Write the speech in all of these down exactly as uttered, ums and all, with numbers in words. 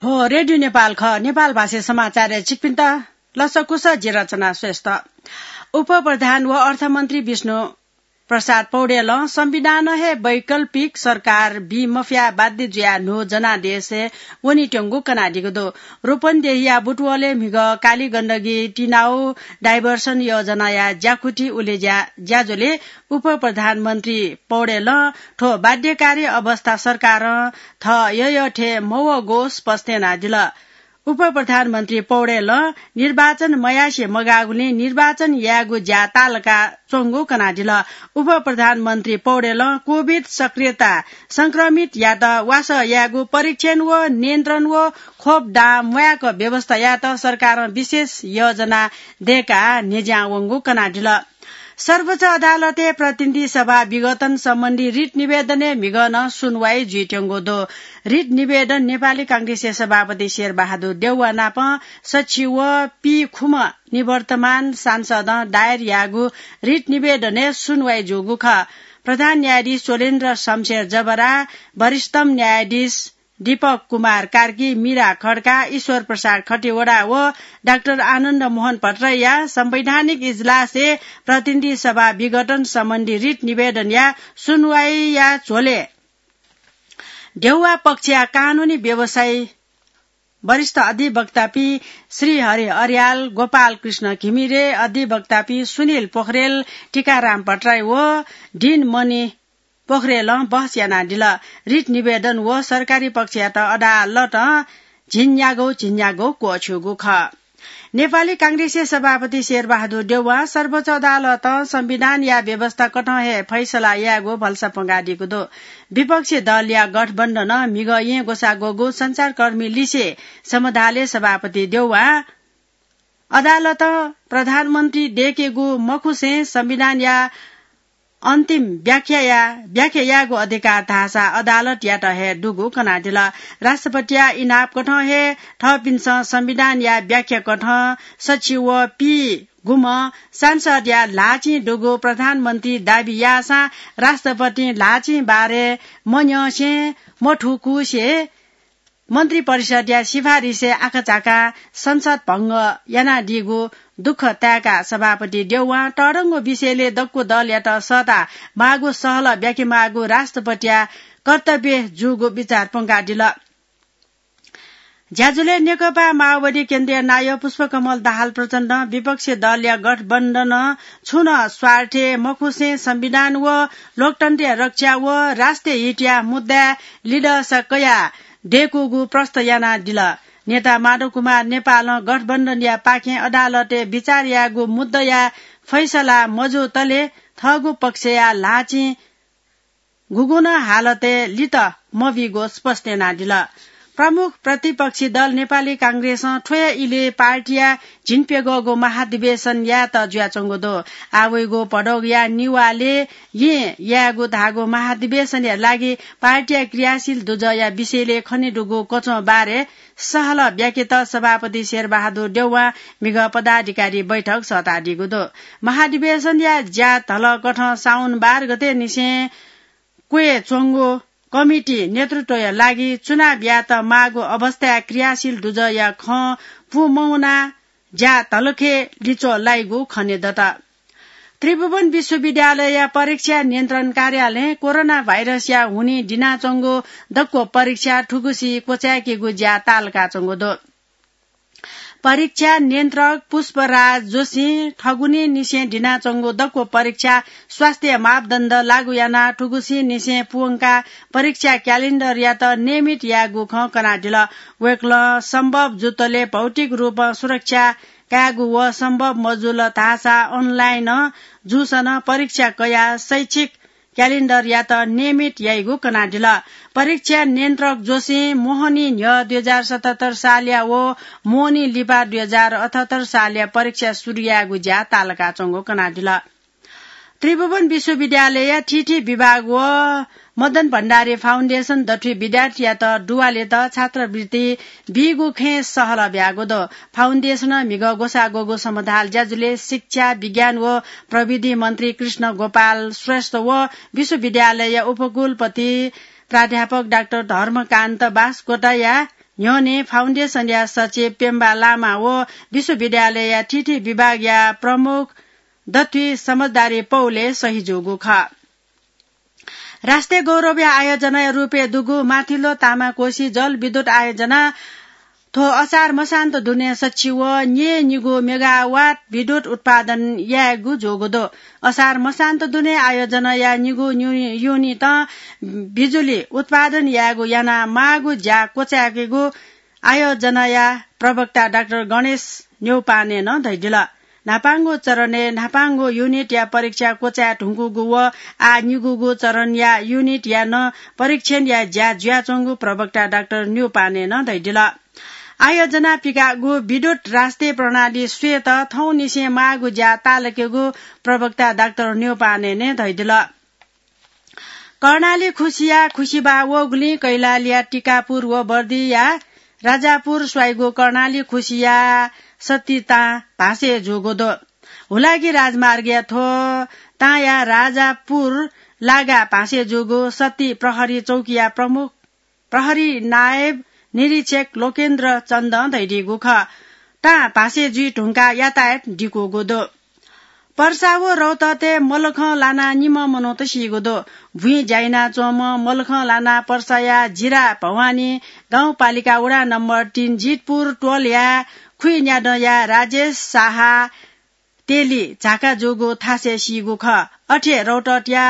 थ्व रेडियो नेपाल खः। नेपाल भाषी समाचारय् छिकपिन्त लसकुस, जि रचना श्रेष्ठ। उपप्रधान व अर्थमन्त्री विष्णु प्रसाद पौडेलं संविधानं हे वैकल्पिक सरकार बी मफया बाध्य जुयाः न्हू जनादेशय् वनीत्यंगु कनादीगु दु। रूपन्देहीया बुटवलय् म्हिगः काली गण्डकी टिनाउ डाइभर्सन योजनाया ज्याकुथि उलेज्या ज्याझ्वलय् उपप्रधानमन्त्री पौडेलं थ्व बाध्यकारी अवस्था सरकारं थः यःयःथें मवःगु स्पष्ट यानादिल। उपप्रधानमन्त्री पौडेलं निर्वाचन मयासे मगाःगुलिं निर्वाचन यायेगु ज्या तालका च्वंगु कनादिल। उपप्रधानमन्त्री पौडेलं कोभिड सक्रियता संक्रमितयात वासः यायेगु परीक्षण व नियन्त्रण व खोप दां म्वायेक व्यवस्था यायेत सरकारं विशेष योजना दयेकाः न्ह्यज्यां वंगु कनादिल। सर्वोच्च अदालतय् प्रतिनिधि सभा विघटन सम्बन्धी रिट निवेदनय् म्हिगः नं सुनवाई जुइत्यंगु दु। रिट निवेदन नेपाली कांग्रेसया सभापति शेरबहादुर देउवा नाप सच्छि व पीखुम्ह निवर्तमान सांसदं दायर याःगु रिट निवेदनय् सुनवाई जूगु खः। प्रधान न्यायाधीश स्वलेन्द्र शमशेर जबरा, वरिष्ठम न्यायाधीश दीपक कुमार कार्की, मीरा खड्का, ईश्वर प्रसाद खतिवडा व डाक्टर आनन्द मोहन भट्टराईया संवैधानिक इजलासय् प्रतिनिधि सभा विघटन सम्बन्धी रिट निवेदनया सुनवाईया झ्वलय् देउवा पक्षया कानूनी व्यवसायी वरिष्ठ अधिवक्तापिं श्रीहरि अर्याल, गोपाल कृष्ण घिमिरे, अधिवक्तापिं सुनिल पोखरेल, टीकाराम भट्टराई व दिनमणि पोखरेलं बहस यानादिल। रिट निवेदन व सरकारी पक्षयात अदालतं झिंन्यागौ झिंन्यागौ क्वःछ्यूगु खः। नेपाली कांग्रेसया सभापति शेरबहादुर देउवां सर्वोच्च अदालतं संविधानया व्यवस्था कथं हे फैसला यायेगु भलसा पंगादीगु दु। विपक्षी दलया गठबन्धनं म्हिगः येँ ग्वसाः ग्वःगु संचारकर्मी लिसे समधालय् सभापति देउवां अदालतं प्रधानमन्त्री दयेकेगु मखुसें संविधानया अन्तिम व्याख्याया, व्याख्या यायेगु अधिकार धाःसा अदालतयात हे दुगु कनादिल। राष्ट्रपतिया इनाप कथं हे थःपिन्सं संविधानया व्याख्या कथं सच्छि व पीगुम्ह सांसदया ल्हाःचिं दुगु प्रधानमन्त्री दाबी याःसां राष्ट्रपतिं ल्हाःचिं बारे मन्यंसें मथुकुसे मन्त्री परिषदया सिफारिसय् आकाझाकां संसद भंग यानादीगु दुःख ताय्काः सभापति देउवां तःधंगु विषयलय् दक्व दलयात सःता माःगु सहलह ब्याके माःगु राष्ट्रपतिया कर्तव्य जूगु बिचाः पंकादिल। ज्याझ्वलय् नेकपा माओवादी केन्द्रीय नायः पुष्पकमल दाहाल प्रचण्डं विपक्षी दलया गठबन्धनं छुं नं स्वार्थय् मखुसें संविधान व लोकतन्त्रया रक्षा व राष्ट्रिय हितया मुद्दाय् लिधंसा कयाः दय्कूगु प्रष्ट यानादिल। नेता माधव कुमार नेपालं गठबन्धनया पाखें अदालतय् बिचाः यायेगु मुद्दाया फैसला मजूतले थःगु पक्षया ल्हाःचिं गुगुं नं हालतय् लित मबीगु स्पष्ट यानादिल। प्रमुख प्रतिपक्षी दल नेपाली कांग्रेसं थ्व हे इलय् पार्टीया झिंप्यघौगु महाधिवेशन यायेत जुयाच्वंगु दु। आः वइगु भदौया निभालय् येँ यायेगु धाःगु महाधिवेशनया लागि पार्टीया क्रियाशील दुजःया विषयलय् खनेदुगु कचं बारे सहलह ब्याकेत सभापति शेरबहादुर देउवां म्हिगः पदाधिकारी बैठक सःतादीगु दु। महाधिवेशनया ज्या धलकथं साउन बाह्र गते निसें क्वय् च्वंगु कमिटी नेतृत्वया लागि चुनाव यायेत माःगु अवस्थाय् क्रियाशील दुजःया खँ पूमवनाः ज्या धलखे लिच्वः लाइगु खनेदत। त्रिभुवन विश्वविद्यालयया परीक्षा नियन्त्रण कार्यालयं कोरोना भाइरसया हुनिं दिनाच्वंगु दक्व परीक्षा थुगुसी क्वचाय्केगु ज्या तालकाच्वंगु दु। परीक्षा नियन्त्रक पुष्पराज जोशीं थगुनिंनिसें दिनाच्वंगु दक्व परीक्षा स्वास्थ्य मापदण्ड लागू यानाः थुगुसिंनिसें पूवंकाः परीक्षा क्यालेण्डरयात नियमित यायेगु खँ कनादिल। वय्कलं सम्भव जुतले भौतिक रूपं सुरक्षा कायेगु व सम्भव मजुल धाःसा अनलाइनं जूसां नं परीक्षा कयाः शैक्षिक क्यालेण्डरयात नियमित याइगु कनादिल। परीक्षा नियन्त्रक जोशीं मोहनी न्ह्यः दुई हजार सतहत्तर सालया व मोहनी लिपा दुई हजार अठहत्तर सालया परीक्षा सुरु यायेगु ज्या तालकाच्वंगु कनादिल। त्रिभुवन विश्वविद्यालयया थीथी विभाग व मदन भण्डारी फाउन्डेसन दथुइ विद्यार्थीयात दुवालेत छात्रवृत्ति बीगु खँय् सहलह ब्याःगु दु। फाउन्डेसनं म्हिगः ग्वसाः ग्वःगु समधाल ज्याझ्वलय् शिक्षा, विज्ञान व प्रविधि मन्त्री कृष्ण गोपाल श्रेष्ठ व विश्वविद्यालयया उपकुलपति प्राध्यापक डाक्टर धर्मकान्त बासकोटाया न्ह्यःने फाउन्डेसनया सचिव पेम्बा लामा व विश्वविद्यालयया थीथी विभागया प्रमुख दथुइ समझदारी पौले सही जूगु खः। राष्ट्रिय गौरवया आयोजनाया रूपय् दुगु माथिल्लो तामाकोशी जलविद्युत आयोजना थ्व असार मसान्त दुने सच्छि व न्यय् निगू मेगावाट विद्युत उत्पादन यायेगु जूगु दु। असार मसान्त दुने आयोजनाया निगू न्यु-, युनिटं बिजुली उत्पादन यायेगु यानाः माःगु ज्या क्वचायेकेगु आयोजनाया प्रवक्ता डाक्टर गणेश न्यौपानेनं धयादिल। न्हापांगु चरणय् न्हापांगु युनिटया परीक्षा क्वचाये धुंकूगु व आः निगूगु चरणया युनिटया नं परीक्षणया ज्या जुयाच्वंगु प्रवक्ता डाक्टर न्यौपानेनं धयादिल। आयोजना पिकाःगु विद्युत राष्ट्रिय प्रणाली स्वयेत थौंनिसें माःगु ज्या ताःलाकेगु प्रवक्ता डाक्टर न्यौपानेनं धयादिल। कर्णाली खुसिया खुसिबाः वःगुलिं कैलालीया टिकापुर व बर्दिया राजापुर स्वाइगु कर्णाली खुसिया सत्ती तां भासय् जूगु दु। हुलाकी राजमार्गया थ्व तांया राजापुर लागा भासय् जूगु सत्ती प्रहरी चौकीया प्रमुख प्रहरी नायब निरीक्षक लोकेन्द्र चन्दं धयादीगु खः। तां भासय् जुइ धुंकाः यातायात दिकूगु दु। पर्सा व रौतहतय् मलखं लानाः निम्ह मनूत सीगु दु। भुइँ ज्या यानाच्वंम्ह मलखं लानाः पर्साया जिरा भवानी गाउँपालिका वडा नम्बर तीन जितपुर टोलया खुइन्यादँया राजेश साहा तेली झाका जूगु थासय् सीगु खः। अथे रौतहतया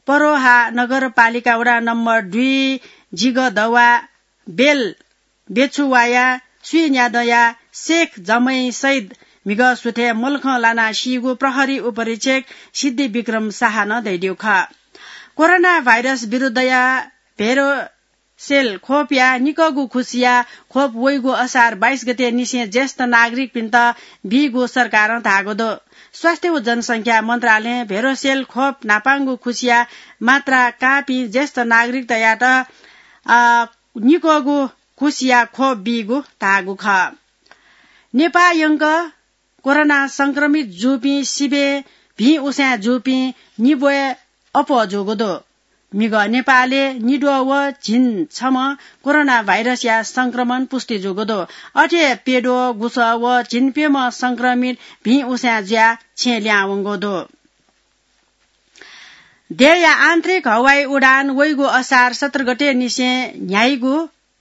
परोहा नगरपालिका वडा नम्बर दुई जिगदवा बेल बेछुवाया सुइन्यादँया शेख जमै सैद म्हिगः सुथय् मलखं लानाः सीगु प्रहरी उपरीक्षक सिद्धि विक्रम साहानं धयादीगु खः। कोरोना भाइरस विरुद्धया भेरोसेल खोपया निकःगु खुसिया खोप वइगु असार बाइस गते निसें ज्येष्ठ नागरिकपिन्त बीगु सरकारं धाःगु दु। स्वास्थ्य व जनसंख्या मन्त्रालयं भेरोसेल खोप न्हापांगु खुसिया मात्रा काःपिं ज्येष्ठ नागरिकतयात, अ, निकःगु खुसिया खोप बीगु धाःगु खः। नेपाः यंक कोरोना संक्रमित जूपिं सिबें भिं उसाँय् जूपिं निब्वय् अप्वः जूगु दु। म्हिगः नेपालय् निद्वः व झिंछम्ह कोरोना भाइरसया संक्रमण पुष्टि जूगु दु। अथे प्यद्वः गुसः व झिंप्यम्ह संक्रमित भिं उसाँय् जुयाः छेँ लिहां वंगु दु। देय्‌या आन्तरिक हवाई उडान वइगु असार सत्र गते निसें न्ह्याइगु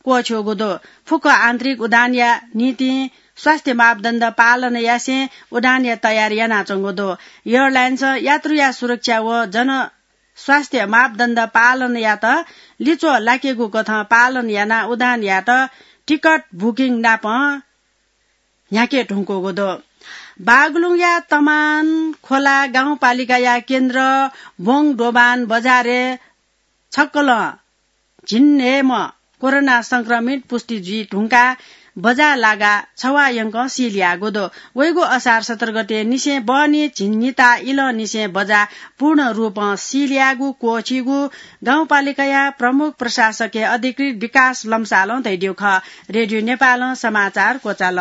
क्वःछ्यूगु दु। फुक्क आन्तरिक उडानया निंतिं स्वास्थ्य मापदण्ड पालन यासें उडानया तयारी यानाच्वंगु दु। एयरलाइन्सं यात्रुया सुरक्षा व जनस्वास्थ्य मापदण्ड पालन यायेत लिच्वः लाकेगु कथं पालन यानाः उडान यायेत टिकट बुकिङ नापं न्ह्याके धुंकूगु दु। बागलुङया तमान खोला गाउँपालिकाया केन्द्र बोङ दोबान बजारय् छक्कलं झिंन्हय्‌म्ह कोरोना संक्रमित पुष्टि जुइ धुंकाः बजार लागाः छवाः यंकं सील्याःगु दु। वइगु असार सत्र गते निसें बहनी झिंनिता इलंनिसें बजार पूर्ण रूपं सील्याःगु क्वःछीगु गाउँपालिकाया प्रमुख प्रशासकया अधिकृत विकास लम्सालं धयादीगु खः। रेडियो नेपालं समाचार क्वचाल।